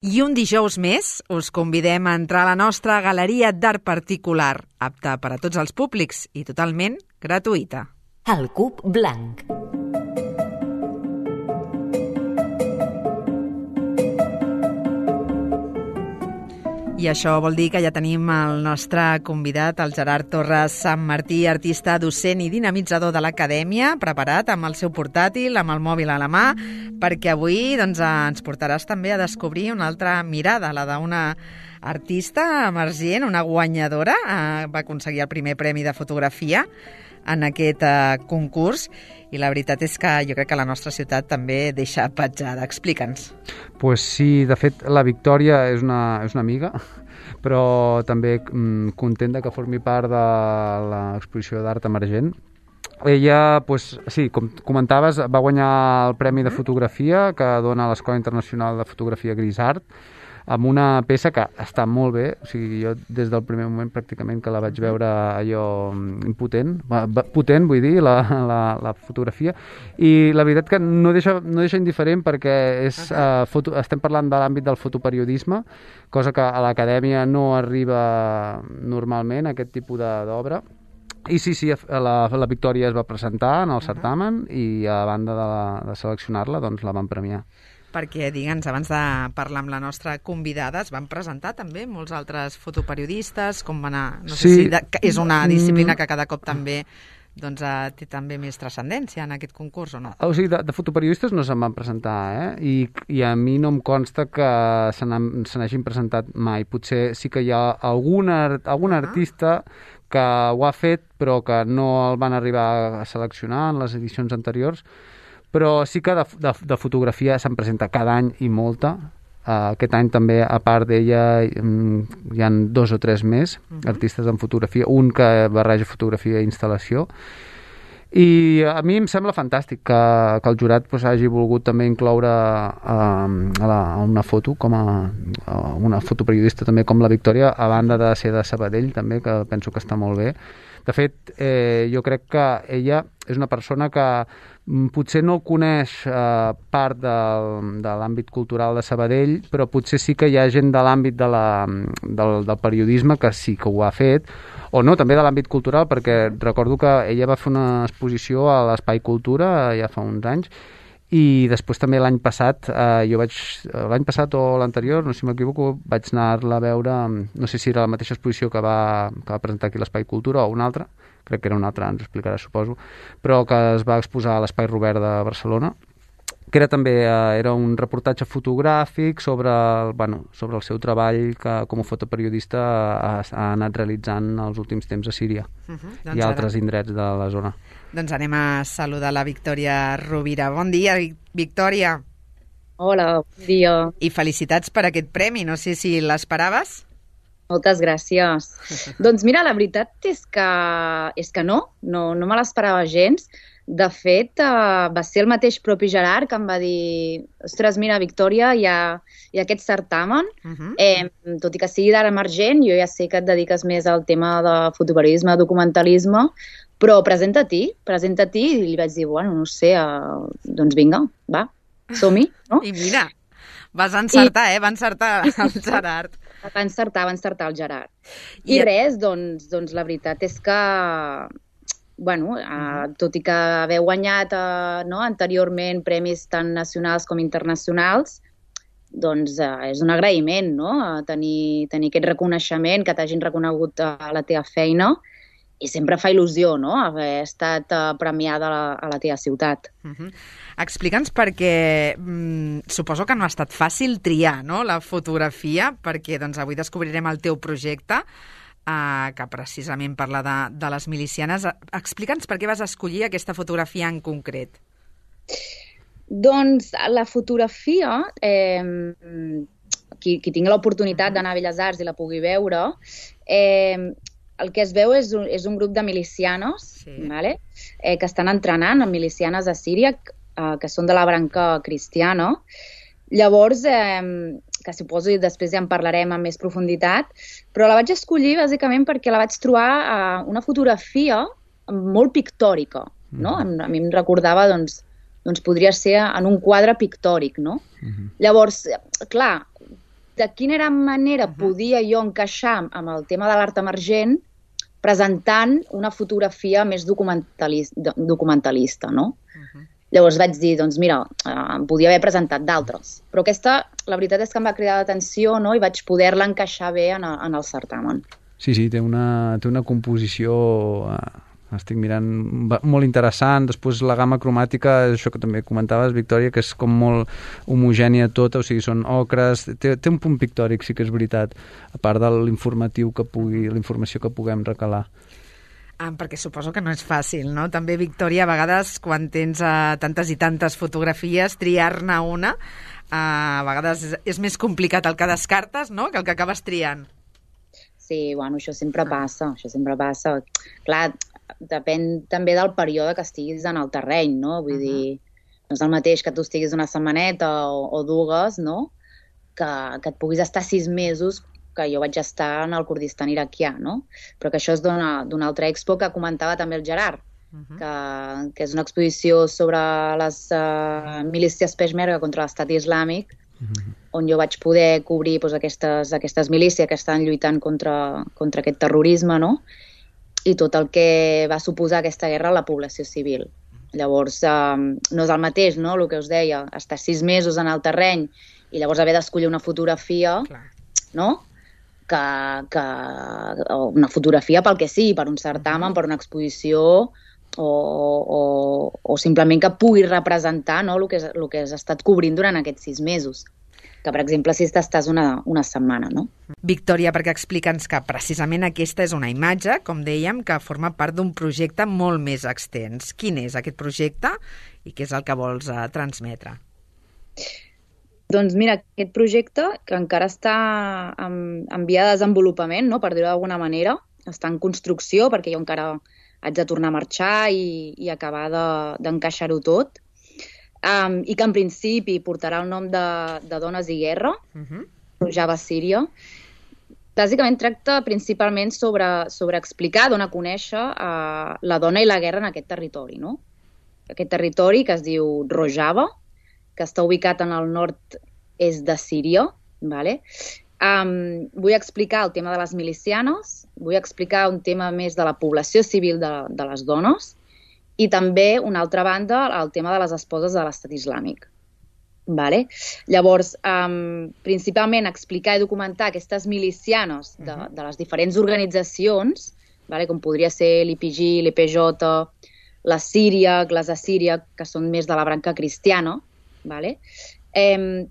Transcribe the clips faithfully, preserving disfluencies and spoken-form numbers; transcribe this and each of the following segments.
I un dijous més us convidem a entrar a la nostra galeria d'art particular, apta per a tots els públics i totalment gratuïta. El Cub Blanc. I això vol dir que ja tenim el nostre convidat, el Gerard Torres Sant Martí, artista, docent i dinamitzador de l'Acadèmia, preparat amb el seu portàtil, amb el mòbil a la mà, perquè avui doncs, ens portaràs també a descobrir una altra mirada, la d'una artista emergent, una guanyadora, eh, va aconseguir el primer premi de fotografia en aquest eh, concurs, i la veritat és que jo crec que la nostra ciutat també deixa petjada. Explica'ns. Pues sí, de fet, la Victòria és una, és una amiga, però també mm, contenta que formi part de l'exposició d'art emergent. Ella, pues, sí, com comentaves, va guanyar el Premi de Fotografia que dona l'Escola Internacional de Fotografia Grisart, amb una peça que està molt bé. O sigui, jo des del primer moment pràcticament que la vaig veure allò impotent, potent vull dir, la, la, la fotografia, i la veritat que no deixa, no deixa indiferent perquè és, uh, foto, estem parlant de l'àmbit del fotoperiodisme, cosa que a l'Acadèmia no arriba normalment, aquest tipus d'obra. I sí, sí, la, la Victòria es va presentar en el certamen i a banda de, la, de seleccionar-la, doncs la van premiar. Perquè, digue'ns, abans de parlar amb la nostra convidada, es van presentar també molts altres fotoperiodistes, com va anar? No sé sí. si de, és una disciplina que cada cop també doncs, té també més transcendència en aquest concurs, o no? O sigui, de, de fotoperiodistes no se'n van presentar, eh? I, i a mi no em consta que se n'hagin presentat mai. Potser sí que hi ha algun, art, algun uh -huh. artista que ho ha fet, però que no el van arribar a seleccionar en les edicions anteriors, però sí que de, de, de fotografia se'n presenta cada any i molta. Uh, aquest any també, a part d'ella, hi ha dos o tres més uh-huh. artistes en fotografia, un que barreja fotografia i instal·lació, i a mi em sembla fantàstic que, que el jurat pues, hagi volgut també incloure uh, a, la, a una foto com a, a una fotoperiodista també com la Victòria, a banda de ser de Sabadell també, que penso que està molt bé. De fet, eh, jo crec que ella és una persona que potser no coneix eh, part de, de l'àmbit cultural de Sabadell, però potser sí que hi ha gent de l'àmbit de la, del, del periodisme que sí que ho ha fet, o no, també de l'àmbit cultural, perquè recordo que ella va fer una exposició a l'Espai Cultura ja fa uns anys, i després també l'any passat, eh, jo vaig, l'any passat o l'anterior, no sé si m'equivoco, vaig anar-la a veure, no sé si era la mateixa exposició que va, que va presentar aquí l'Espai Cultura o una altra, crec que era una altra, ens explicarà, suposo, però que es va exposar a l'Espai Robert de Barcelona, que era també eh, era un reportatge fotogràfic sobre el, bueno, sobre el seu treball que com a fotoperiodista ha, ha anat realitzant els últims temps a Síria uh -huh. doncs i altres ara. indrets de la zona. Doncs anem a saludar la Victòria Rovira. Bon dia, Victòria. Hola, bon dia. I felicitats per aquest premi, no sé si l'esperaves? Moltes gràcies. Doncs mira, la veritat és que, és que no, no, no me l'esperava gens. De fet, uh, va ser el mateix propi Gerard que em va dir ostres, mira, Victòria, hi ha, hi ha aquest certamen, uh-huh. eh, tot i que sigui d'art emergent, jo ja sé que et dediques més al tema de fotoperiodisme, documentalisme, però presenta-t'hi, presenta-t'hi, i li vaig dir, bueno, no sé, uh, doncs vinga, va, som-hi, no? I mira, vas encertar, I... eh? Va encertar el Gerard. Va encertar, va encertar el Gerard. I, I res, doncs, doncs la veritat és que bueno, uh, tot i que haver guanyat uh, no, anteriorment premis tant nacionals com internacionals, doncs uh, és un agraïment, no?, a tenir, tenir aquest reconeixement, que t'hagin reconegut uh, la teva feina, i sempre fa il·lusió, no?, haver estat uh, premiada a la, a la teva ciutat. Uh-huh. Explica'ns perquè mm, suposo que no ha estat fàcil triar, no?, la fotografia, perquè doncs, avui descobrirem el teu projecte, Uh, que precisament parla de, de les milicianes. Explica'ns per què vas escollir aquesta fotografia en concret. Doncs la fotografia, eh, qui, qui tingui l'oportunitat d'anar a Belles Arts i la pugui veure, eh, el que es veu és un, és un grup de milicianes, sí. vale? eh, que estan entrenant en milicianes a Síria, eh, que són de la branca cristiana. Llavors, eh, que suposo que després ja en parlarem amb més profunditat, però la vaig escollir bàsicament perquè la vaig trobar eh, una fotografia molt pictòrica, no? Mm. A mi em recordava, doncs, doncs podria ser en un quadre pictòric, no? Mm-hmm. Llavors, clar, de quina era manera podia jo encaixar amb el tema de l'art emergent presentant una fotografia més documentalista, documentalista no? Uh-huh. Llavors vaig dir, doncs mira, em podia haver presentat d'altres, però aquesta, la veritat és que em va cridar l'atenció, no? I vaig poder-la encaixar bé en el, en el certamen. Sí, sí, té una, té una composició, eh, estic mirant, molt interessant. Després la gamma cromàtica, això que també comentaves, Victòria, que és com molt homogènia tota, o sigui, són ocres, té, té un punt pictòric, sí que és veritat, a part de l'informatiu que pugui, la informació que puguem recalar. Ah, perquè suposo que no és fàcil, no? També, Victòria, a vegades, quan tens uh, tantes i tantes fotografies, triar-ne una, uh, a vegades és, és més complicat el que descartes, no?, que el que acabes triant. Sí, bueno, això sempre passa, això sempre passa. Clar, depèn també del període que estiguis en el terreny, no? Vull uh-huh. dir, no és el mateix que tu estiguis una setmaneta o, o dues, no?, que, que et puguis estar sis mesos, que jo vaig estar en el Kurdistan iraquià, no? Però que això és d'una altra expo que comentava també el Gerard, uh-huh. que, que és una exposició sobre les uh, milícies peshmerga contra l'estat islàmic, uh-huh. on jo vaig poder cobrir doncs, aquestes, aquestes milícies que estan lluitant contra, contra aquest terrorisme, no? I tot el que va suposar aquesta guerra a la població civil. Llavors, uh, no és el mateix, no?, el que us deia, estar sis mesos en el terreny i llavors haver d'escollir una fotografia, clar. No?, Que, que una fotografia pel que sigui, per un certamen, per una exposició o, o, o simplement que pugui representar, no, el que, el que has estat cobrint durant aquests sis mesos. Que, per exemple, si estàs una, una setmana, no? Victòria, perquè explica'ns que precisament aquesta és una imatge, com dèiem, que forma part d'un projecte molt més extens. Quin és aquest projecte i què és el que vols uh, transmetre? Doncs mira, aquest projecte, que encara està en, en via de desenvolupament, no?, per dir-ho d'alguna manera, està en construcció, perquè jo encara haig de tornar a marxar i, i acabar d'encaixar-ho de, tot, um, i que en principi portarà el nom de, de Dones i Guerra, uh-huh. Rojava Síria. Bàsicament tracta principalment sobre, sobre explicar, donar a conèixer uh, la dona i la guerra en aquest territori, no? Aquest territori que es diu Rojava, que està ubicat en el nord-est de Síria. Vale? Um, vull explicar el tema de les milicianes, vull explicar un tema més de la població civil de, de les dones i també, una altra banda, el tema de les esposes de l'estat islàmic. Vale? Llavors, um, principalment explicar i documentar aquestes milicianes de, de les diferents organitzacions, vale? Com podria ser l'I P G, l'E P J, la Síria, les Assíria, que són més de la branca cristiana, vale? Eh,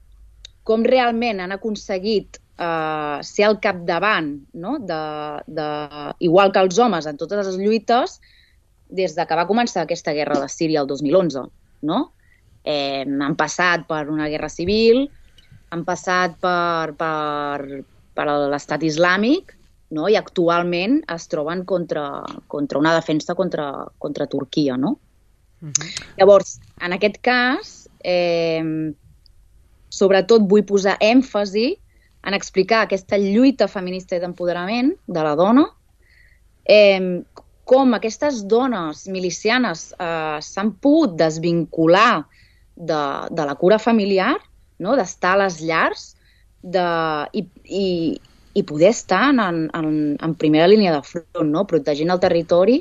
com realment han aconseguit eh, ser al capdavant, no? de, de, igual que els homes en totes les lluites, des de que va començar aquesta guerra de Síria el dos mil onze. No? Eh, han passat per una guerra civil, han passat per, per, per l'estat islàmic, no? I actualment es troben contra, contra una defensa contra, contra Turquia. No? Uh-huh. Llavors, en aquest cas, Eh, sobretot vull posar èmfasi en explicar aquesta lluita feminista i d'empoderament de la dona, eh, com aquestes dones milicianes eh, s'han pogut desvincular de, de la cura familiar, no? D'estar a les llars de, i, i, i poder estar en, en, en primera línia de front, no? Protegint el territori,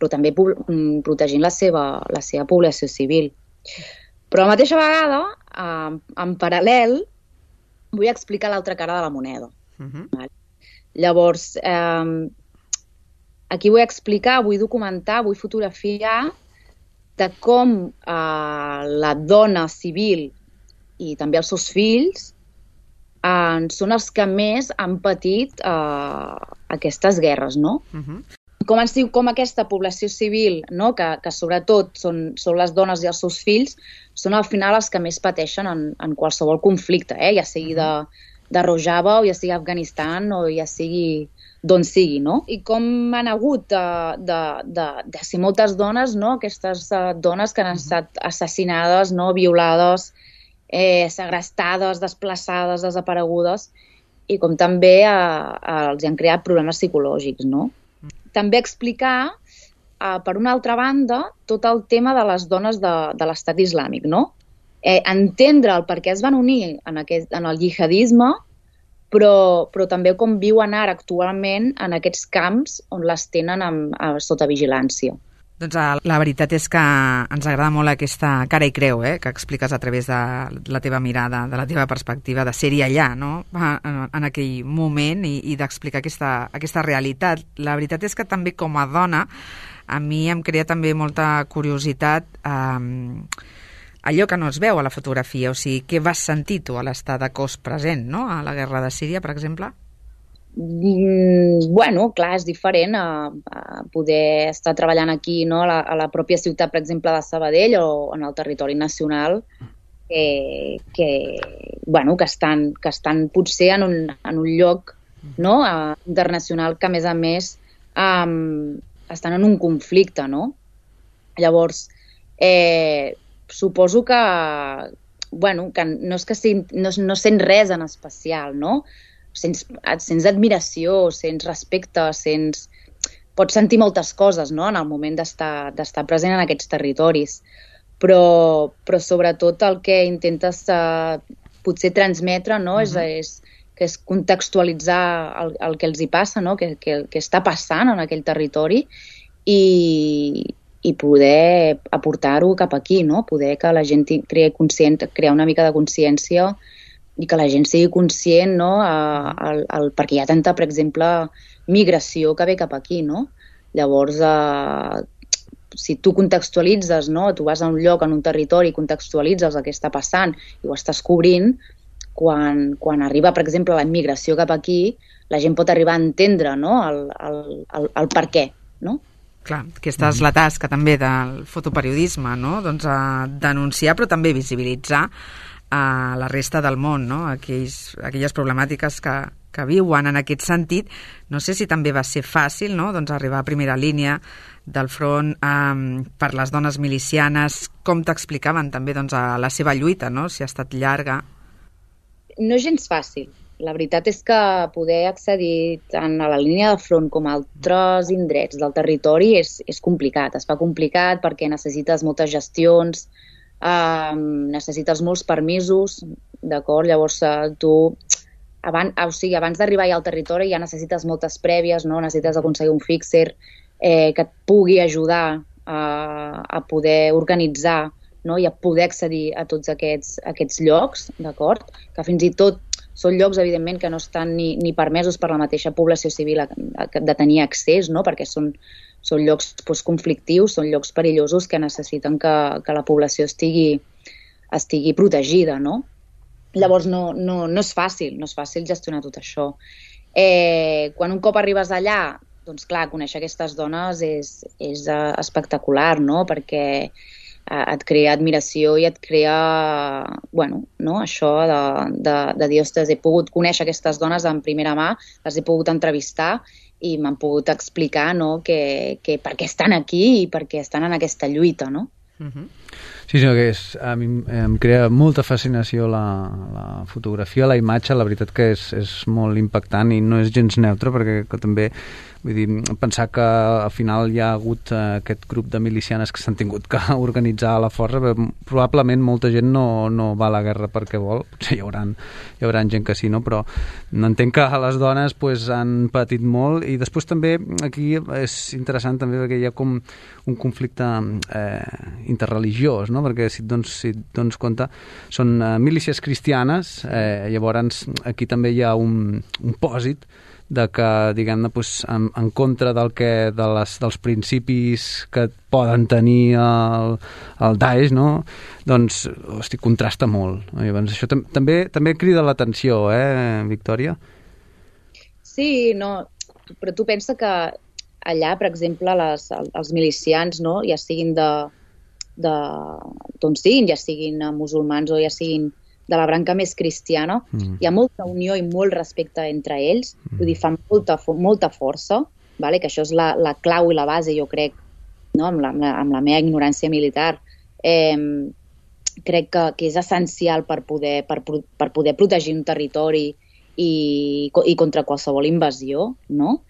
però també protegint la seva, la seva població civil. Però a la mateixa vegada, eh, en paral·lel, vull explicar l'altra cara de la moneda. Uh-huh. Vale? Llavors, eh, aquí vull explicar, vull documentar, vull fotografiar de com eh, la dona civil i també els seus fills eh, són els que més han patit eh, aquestes guerres, no? Uh-huh. Com, han, com aquesta població civil, no? que, que sobretot són, són les dones i els seus fills, són al final els que més pateixen en, en qualsevol conflicte, eh? Ja sigui de, de Rojava o ja sigui Afganistan o ja sigui d'on sigui, no? I com han hagut de, de, de, de ser moltes dones, no? Aquestes uh, dones que han estat assassinades, no? Violades, eh, segrestades, desplaçades, desaparegudes, i com també uh, uh, els han creat problemes psicològics, no? També explicar, eh, per una altra banda, tot el tema de les dones de, de l'estat islàmic, no? Eh, entendre el per què es van unir en, aquest, en el jihadisme, però, però també com viuen ara actualment en aquests camps on les tenen amb, a, sota vigilància. Doncs la veritat és que ens agrada molt aquesta cara i creu, eh, que expliques a través de la teva mirada, de la teva perspectiva, de ser-hi allà, no?, en, en aquell moment i, i d'explicar aquesta, aquesta realitat. La veritat és que també com a dona a mi em crea també molta curiositat eh, allò que no es veu a la fotografia, o sigui, què vas sentir tu a l'estar de cos present, no?, a la guerra de Síria, per exemple? Mm, bueno, clar, és diferent a, a poder estar treballant aquí, no?, a la, a la pròpia ciutat, per exemple, de Sabadell o en el territori nacional, que, que, bueno, que, estan, que estan potser en un, en un lloc, no?, a, internacional que, a més a més, um, estan en un conflicte, no? Llavors, eh, suposo que, bueno, que no és que sent, no, no sent res en especial, no? Sents, sents admiració, sents respecte, sents... Pots sentir moltes coses, no?, en el moment d'estar d'estar present en aquests territoris. Però, però sobretot el que intentes eh, potser transmetre, no?, uh-huh. és, és, que és contextualitzar el, el que els hi passa, no?, que, que, que està passant en aquell territori i, i poder aportar-ho cap aquí, no?, poder que la gent creï conscient, crear una mica de consciència i que la gent sigui conscient, no?, a, a, a, perquè hi ha tanta, per exemple, migració que ve cap aquí, no? Llavors, eh, si tu contextualitzes, no?, tu vas a un lloc, en un territori, contextualitzes el que està passant i ho estàs cobrint, quan, quan arriba, per exemple, la immigració cap aquí, la gent pot arribar a entendre, no?, el, el, el, el per què, no? Clar, aquesta és la tasca també del fotoperiodisme, no?, doncs a denunciar però també visibilitzar a la resta del món, no?, Aquells, aquelles problemàtiques que, que viuen en aquest sentit. No sé si també va ser fàcil, no?, doncs arribar a primera línia del front um, per les dones milicianes, com t'explicaven també doncs, a la seva lluita, no?, si ha estat llarga. No és gens fàcil. La veritat és que poder accedir tant a la línia de front com a altres indrets del territori és, és complicat. Es fa complicat perquè necessites moltes gestions, eh, necessites molts permisos, d'acord? Llavors uh, tu, abans, o sigui, abans d'arribar ja al territori ja necessites moltes prèvies, no? Necessites aconseguir un fixer eh, que et pugui ajudar a, a poder organitzar, no?, i a poder accedir a tots aquests, aquests llocs, d'acord? Que fins i tot són llocs, evidentment, que no estan ni, ni permesos per la mateixa població civil a, a, de tenir accés, no?, perquè són, són llocs doncs, conflictius, són llocs perillosos que necessiten que, que la població estigui, estigui protegida, no? Llavors no, no, no és fàcil, no és fàcil gestionar tot això. Eh, quan un cop arribes allà, doncs clar, conèixer aquestes dones és, és uh, espectacular, no?, perquè et crea admiració i et crea, bueno, no?, això de, de, de dir, ostres, he pogut conèixer aquestes dones en primera mà, les he pogut entrevistar i m'han pogut explicar, no?, que, que per què estan aquí i per què estan en aquesta lluita, no? Uh-huh. Sí, sí, que és, a mi em crea molta fascinació la, la fotografia, la imatge, la veritat que és, és molt impactant i no és gens neutre perquè que també, vull dir, pensar que al final hi ha hagut eh, aquest grup de milicianes que s'han tingut que organitzar a la força, però probablement molta gent no, no va a la guerra perquè vol, potser hi haurà, hi haurà gent que sí, no? Però entenc que les dones pues, han patit molt i després també aquí és interessant també perquè hi ha com un conflicte eh, interreligiós, no? Perquè si et dones, si et dones compte són eh, milícies cristianes, eh, llavors aquí també hi ha un, un pòsit de que, diguem-ne, doncs, en, en contra del que, de les, dels principis que poden tenir el, el Daesh, no? Doncs, hosti, contrasta molt. Llavors, això tam també també crida l'atenció, eh, Victòria? Sí, no, però tu pensa que allà, per exemple, les, els milicians, no?, ja siguin de, de d'on siguin, ja siguin musulmans o ja siguin de la branca més cristiana, mm. hi ha molta unió i molt respecte entre ells, mm. vull dir, fan molta, molta força, vale? Que això és la, la clau i la base, jo crec, no? amb, la, amb, la, amb la meva ignorància militar, eh, crec que, que és essencial per poder, per, per poder protegir un territori i, i contra qualsevol invasió, no?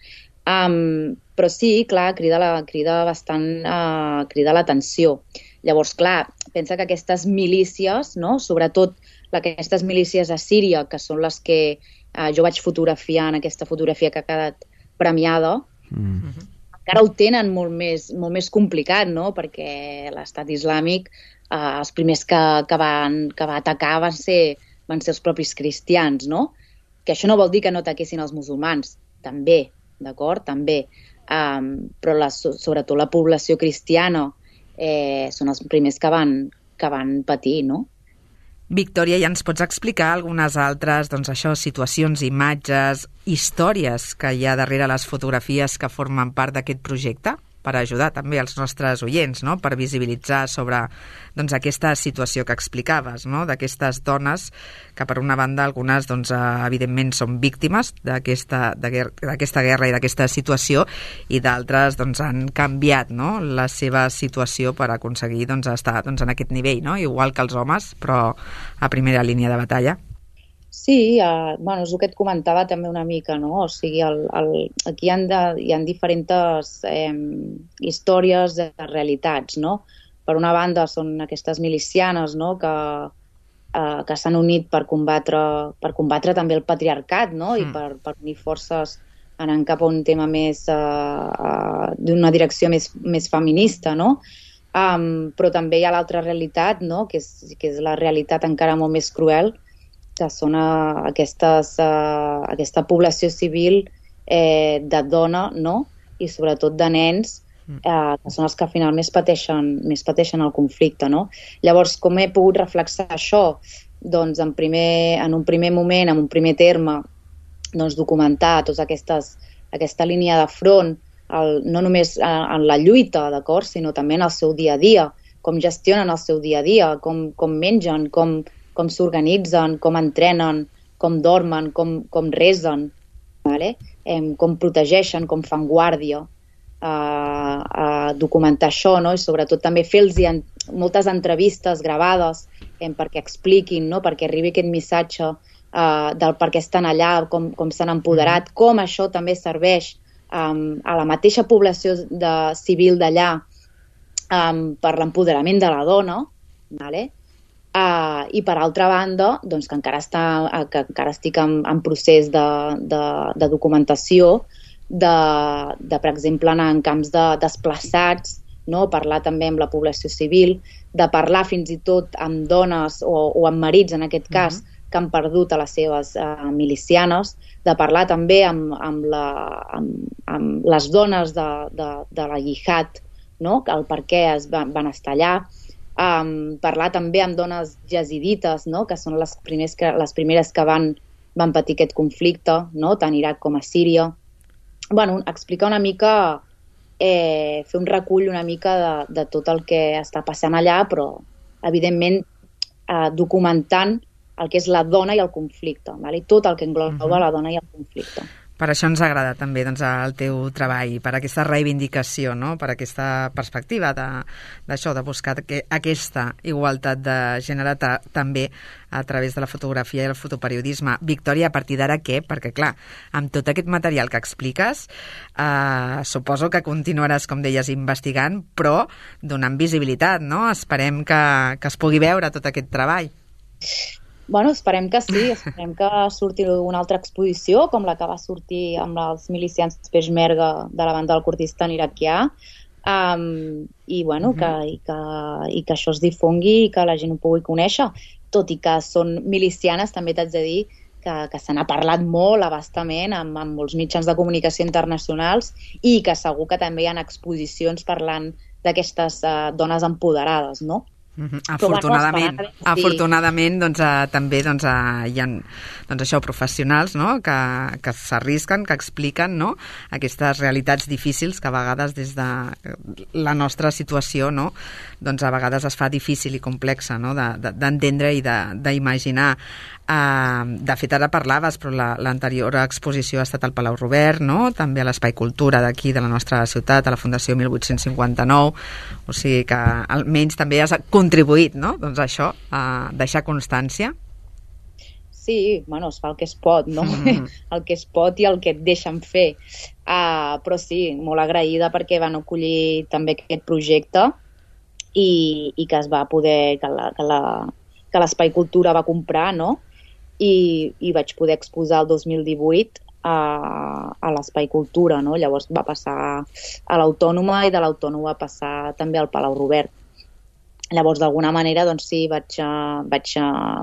Um, però sí, clar, crida, la, crida bastant uh, crida l'atenció. Llavors, clar, pensa que aquestes milícies, no? Sobretot aquestes milícies a Síria, que són les que uh, jo vaig fotografiar en aquesta fotografia que ha quedat premiada, mm. encara ho tenen molt més, molt més complicat, no? Perquè l'estat islàmic, uh, els primers que, que, van, que va atacar van ser, van ser els propis cristians, no? Que això no vol dir que no ataquessin els musulmans, també, d'acord? També. Um, però la, sobretot la població cristiana eh, són els primers que van, que van patir, no? Victòria, ja ens pots explicar algunes altres, doncs això, situacions, imatges, històries que hi ha darrere les fotografies que formen part d'aquest projecte? Per ajudar també els nostres oients, no? Per visibilitzar sobre doncs, aquesta situació que explicaves, no? D'aquestes dones que, per una banda, algunes doncs, evidentment són víctimes d'aquesta d'aquesta guerra i d'aquesta situació, i d'altres doncs, han canviat, no? La seva situació per aconseguir doncs, estar doncs, en aquest nivell, no? Igual que els homes, però a primera línia de batalla. Sí, uh, bueno, és el que et comentava també una mica, no? O sigui, el, el, aquí hi ha, de, hi ha diferents eh, històries de realitats, no? Per una banda són aquestes milicianes, no? Que, uh, que s'han unit per combatre, per combatre també el patriarcat, no? Mm. I per, per unir forces anant cap a un tema més, uh, uh, d'una direcció més, més feminista, no? Um, però també hi ha l'altra realitat, no? Que és, que és la realitat encara molt més cruel, que són uh, aquestes, uh, aquesta població civil eh, de dona, no? I sobretot de nens, eh, que són els que al final més pateixen, més pateixen el conflicte, no? Llavors, com he pogut reflexar això? Doncs en, primer, en un primer moment, en un primer terme, doncs documentar tota aquestes, aquesta línia de front, el, no només en la lluita, d'acord, sinó també en el seu dia a dia, com gestionen el seu dia a dia, com, com mengen, com com s'organitzen, com entrenen, com dormen, com, com resen, vale? eh, com protegeixen, com fan guàrdia, eh, eh, documentar això, no? I sobretot també fer-los en, moltes entrevistes gravades eh, perquè expliquin, no? Perquè arribi aquest missatge eh, del per què estan allà, com, com s'han empoderat, com això també serveix eh, a la mateixa població de, civil d'allà eh, per l'empoderament de la dona, vale? Uh, i per altra banda, doncs, que, encara està, uh, que encara estic en, en procés de, de, de documentació, de, de, per exemple, anar en camps de desplaçats, no? Parlar també amb la població civil, de parlar fins i tot amb dones o, o amb marits, en aquest cas, uh-huh. que han perdut a les seves uh, milicianes, de parlar també amb, amb, la, amb, amb les dones de, de, de la Jihad, no? El per què es van, van estar allà. Um, parlar també amb dones jazidites, no? Que són les, primers que, les primeres que van, van patir aquest conflicte, no? Tant a Iraq com a Síria. Bueno, explicar una mica, eh, fer un recull una mica de, de tot el que està passant allà, però evidentment eh, documentant el que és la dona i el conflicte, vale? Tot el que engloba uh-huh. la dona i el conflicte. Per això ens agrada també doncs, el teu treball, per aquesta reivindicació, no? Per aquesta perspectiva d'això, de, de buscar que, aquesta igualtat de gènere ta, també a través de la fotografia i el fotoperiodisme. Victòria, a partir d'ara què? Perquè, clar, amb tot aquest material que expliques, eh, suposo que continuaràs, com deies, investigant, però donant visibilitat, no? Esperem que, que es pugui veure tot aquest treball. Bueno, esperem que sí, esperem que surti una altra exposició, com la que va sortir amb els milicians Peshmerga de la banda del Kurdistan iraquià, um, i, bueno, uh-huh. que, i, que, i que això es difongui i que la gent ho pugui conèixer. Tot i que són milicianes, també t'haig de dir que, que se n'ha parlat molt abastament amb, amb molts mitjans de comunicació internacionals i que segur que també hi ha exposicions parlant d'aquestes uh, dones empoderades, no? Uh-huh. Afortunadament, bueno, sí. afortunadament doncs, uh, també doncs, uh, hi ha doncs, això, professionals, no? que, que s'arrisquen, que expliquen, no? Aquestes realitats difícils que a vegades des de la nostra situació, no? doncs, a vegades es fa difícil i complexa, no? d'entendre de, de, i d'imaginar. Uh, de fet, ara parlaves, però l'anterior la, exposició ha estat al Palau Robert, no? També a l'Espai Cultura d'aquí, de la nostra ciutat, a la Fundació mil vuit-cents cinquanta-nou, o sigui que almenys també has contribuït, no? Doncs això, a deixar constància. Sí, bueno, es fa el que es pot, no? Mm. El que es pot i el que et deixen fer. Uh, però sí, molt agraïda perquè van acollir també aquest projecte i, i que es va poder, que la, que la, que l'Espai Cultura va comprar, no? i, i vaig poder exposar el dos mil divuit a, a l'Espai Cultura, no? Llavors va passar a l'Autònoma i de l'Autònoma va passar també al Palau Robert. Llavors, d'alguna manera, doncs sí, vaig, vaig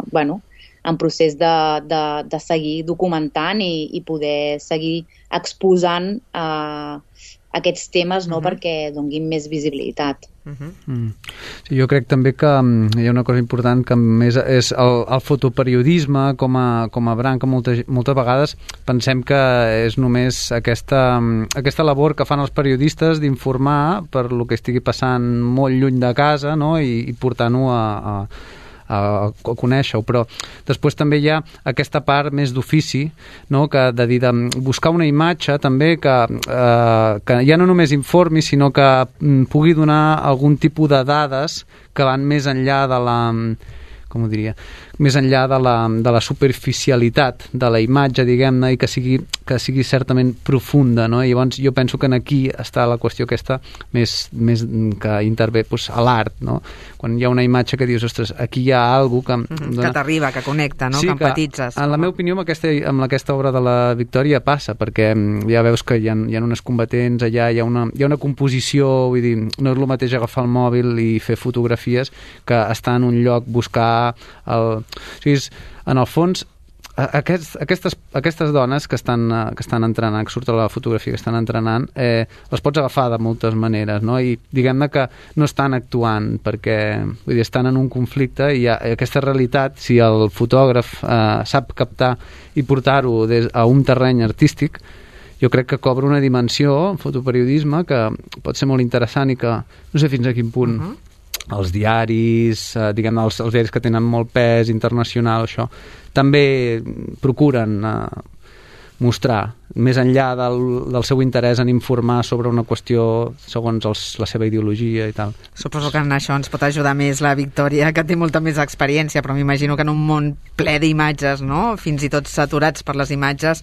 bueno, en procés de, de, de seguir documentant i, i poder seguir exposant eh, aquests temes, no? Uh-huh. Perquè donguin més visibilitat. Uh-huh. Mm. Sí, jo crec també que hi ha una cosa important que més és el, el fotoperiodisme com a, com a branca. Moltes, moltes vegades pensem que és només aquesta, aquesta labor que fan els periodistes d'informar per lo que estigui passant molt lluny de casa, no? I, i portant-ho a, a a conèixer-ho, però després també hi ha aquesta part més d'ofici, no? Que de dir de buscar una imatge també que, eh, que ja no només informi, sinó que pugui donar algun tipus de dades que van més enllà de la, com ho diria, més enllà de la, de la superficialitat de la imatge, diguem-ne, i que sigui, que sigui certament profunda, no? I llavors jo penso que aquí està la qüestió aquesta més, més que intervé doncs, a l'art, no? Quan hi ha una imatge que dius, ostres, aquí hi ha alguna cosa que... Mm-hmm, que t'arriba, que connecta, no? Sí, que empatitzes. Que, en la meva opinió, amb aquesta, amb aquesta obra de la Victòria passa, perquè ja veus que hi ha, hi ha unes combatents allà, hi ha una, hi ha una composició, vull dir, no és el mateix agafar el mòbil i fer fotografies que estar en un lloc, buscar el... O sigui, és, en el fons, aquests, aquestes, aquestes dones que estan, que estan entrenant, que surten a la fotografia, que estan entrenant, eh, les pots agafar de moltes maneres, no? I diguem-ne que no estan actuant perquè, vull dir, estan en un conflicte i ha, aquesta realitat, si el fotògraf eh, sap captar i portar-ho a un terreny artístic, jo crec que cobra una dimensió, el fotoperiodisme, que pot ser molt interessant i que no sé fins a quin punt... Uh-huh. Els diaris, eh, diguem els, els diaris que tenen molt pes internacional, això, també procuren eh, mostrar, més enllà del, del seu interès en informar sobre una qüestió segons els, la seva ideologia i tal. Suposo que en això ens pot ajudar més la Victòria, que té molta més experiència, però m'imagino que en un món ple d'imatges, no? Fins i tot saturats per les imatges,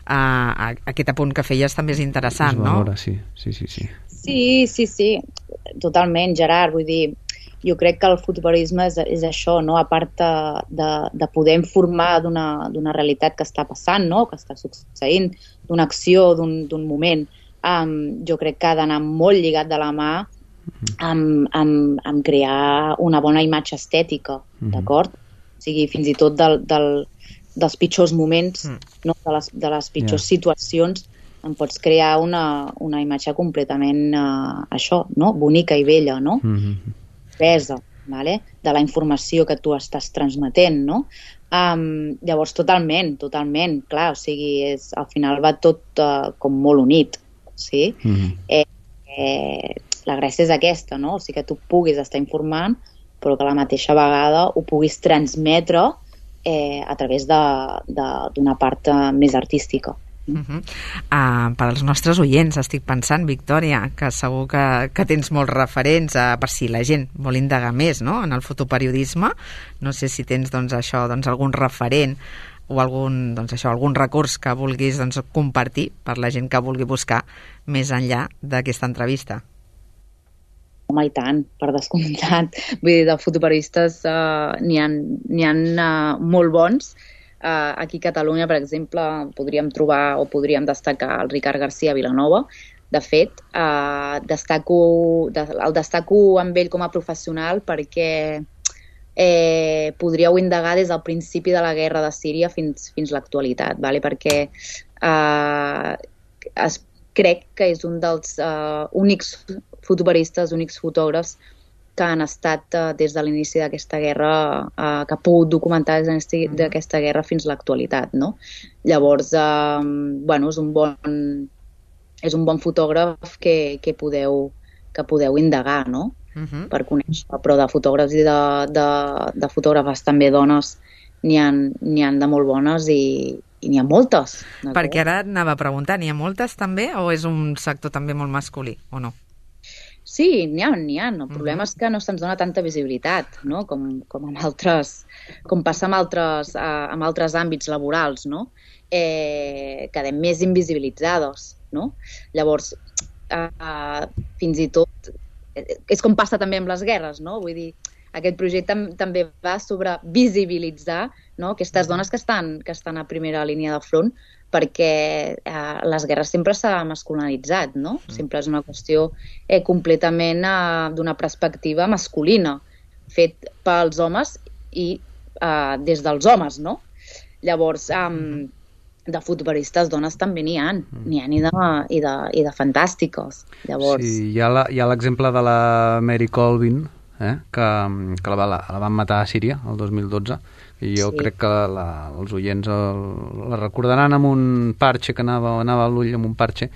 eh, aquest apunt que feies també és interessant, no? Valora, sí, sí, sí, sí. Sí, sí, sí, totalment, Gerard, vull dir, jo crec que el fotoperiodisme és, és això, no? A part de, de, de poder informar d'una d'una realitat que està passant, no? Que està succeint, d'una acció, d'un moment, um, jo crec que ha d'anar molt lligat de la mà amb, amb, amb crear una bona imatge estètica, mm-hmm. d'acord? O sigui, fins i tot del, del, dels pitjors moments, mm. no? de, les, de les pitjors yeah. situacions, en pots crear una, una imatge completament uh, això, no? Bonica i bella, no? Mm-hmm. Pesa, vale? De la informació que tu estàs transmetent, no? Um, llavors, totalment, totalment, clar, o sigui, és, al final va tot uh, com molt unit, sí? Mm-hmm. eh, eh, la gràcia és aquesta, no? O sigui, que tu puguis estar informant, però que a la mateixa vegada ho puguis transmetre eh, a través d'una part uh, més artística. Uh-huh. Uh, per als nostres oients estic pensant, Victòria, que segur que, que tens molts referents uh, per si la gent vol indagar més, no? En el fotoperiodisme, no sé si tens doncs, això, doncs, algun referent o algun, doncs, això, algun recurs que vulguis doncs, compartir per la gent que vulgui buscar més enllà d'aquesta entrevista. Home, i tant, per descomptat. Vull dir, de fotoperiodistes uh, n'hi ha, n'hi ha uh, molt bons. Uh, aquí a Catalunya, per exemple, podríem trobar o podríem destacar el Ricard García Vilanova. De fet, uh, destaco, de, el destaco amb ell com a professional perquè eh, podríeu indagar des del principi de la guerra de Síria fins, fins l'actualitat, vale? Perquè uh, es, crec que és un dels uh, únics fotoperiodistes, únics fotògrafs que han estat uh, des de l'inici d'aquesta guerra, uh, que ha pogut documentar des d'aquesta guerra fins a l'actualitat, no? Llavors, uh, bueno, és un bon, és un bon fotògraf que, que, podeu, que podeu indagar, no? Uh-huh. Per conèixer, però de fotògrafs i de, de, de fotògrafes també dones n'hi ha, n'hi ha de molt bones i, i n'hi ha moltes. Perquè ara anava a preguntar, n'hi ha moltes també o és un sector també molt masculí o no? Sí, n'hi ha, n'hi ha. El problema és que no se'ns dona tanta visibilitat, no? Com, com amb altres, com passa amb altres, uh, amb altres àmbits laborals, no? Eh, quedem més invisibilitzades, no? Llavors, uh, fins i tot, és com passa també amb les guerres, no? Vull dir, aquest projecte també va sobre visibilitzar no? Aquestes dones que estan, que estan a primera línia de front, perquè eh, les guerres sempre s'ha masculinitzat, no? Sempre és una qüestió eh, completament eh, d'una perspectiva masculina, fet pels homes i eh, des dels homes, no? Llavors, eh, de futbolistes dones també n'hi ha, n'hi ha i de, i de, i de fantàstiques. Llavors... Sí, hi ha l'exemple de la Mary Colvin, eh, que, que la, la, la van matar a Síria el dos mil dotze, i jo sí. crec que la, els oients el, la recordaran amb un parxe, que anava, anava a l'ull amb un parxe,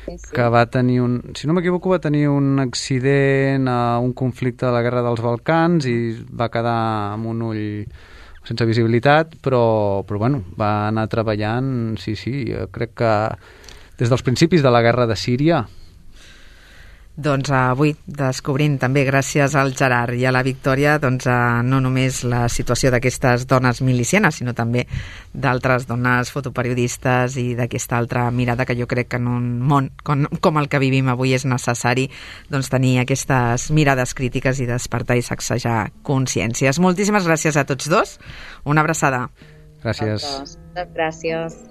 sí, sí. que va tenir un, si no m'equivoco, va tenir un accident a un conflicte de la Guerra dels Balcans i va quedar amb un ull sense visibilitat, però, però bueno, va anar treballant, sí, sí, crec que des dels principis de la guerra de Síria. Doncs avui descobrint també gràcies al Gerard i a la Victòria doncs, no només la situació d'aquestes dones milicianes, sinó també d'altres dones fotoperiodistes i d'aquesta altra mirada que jo crec que en un món com, com el que vivim avui és necessari doncs, tenir aquestes mirades crítiques i despertar i sacsejar consciències. Moltíssimes gràcies a tots dos. Una abraçada. Gràcies. Gràcies.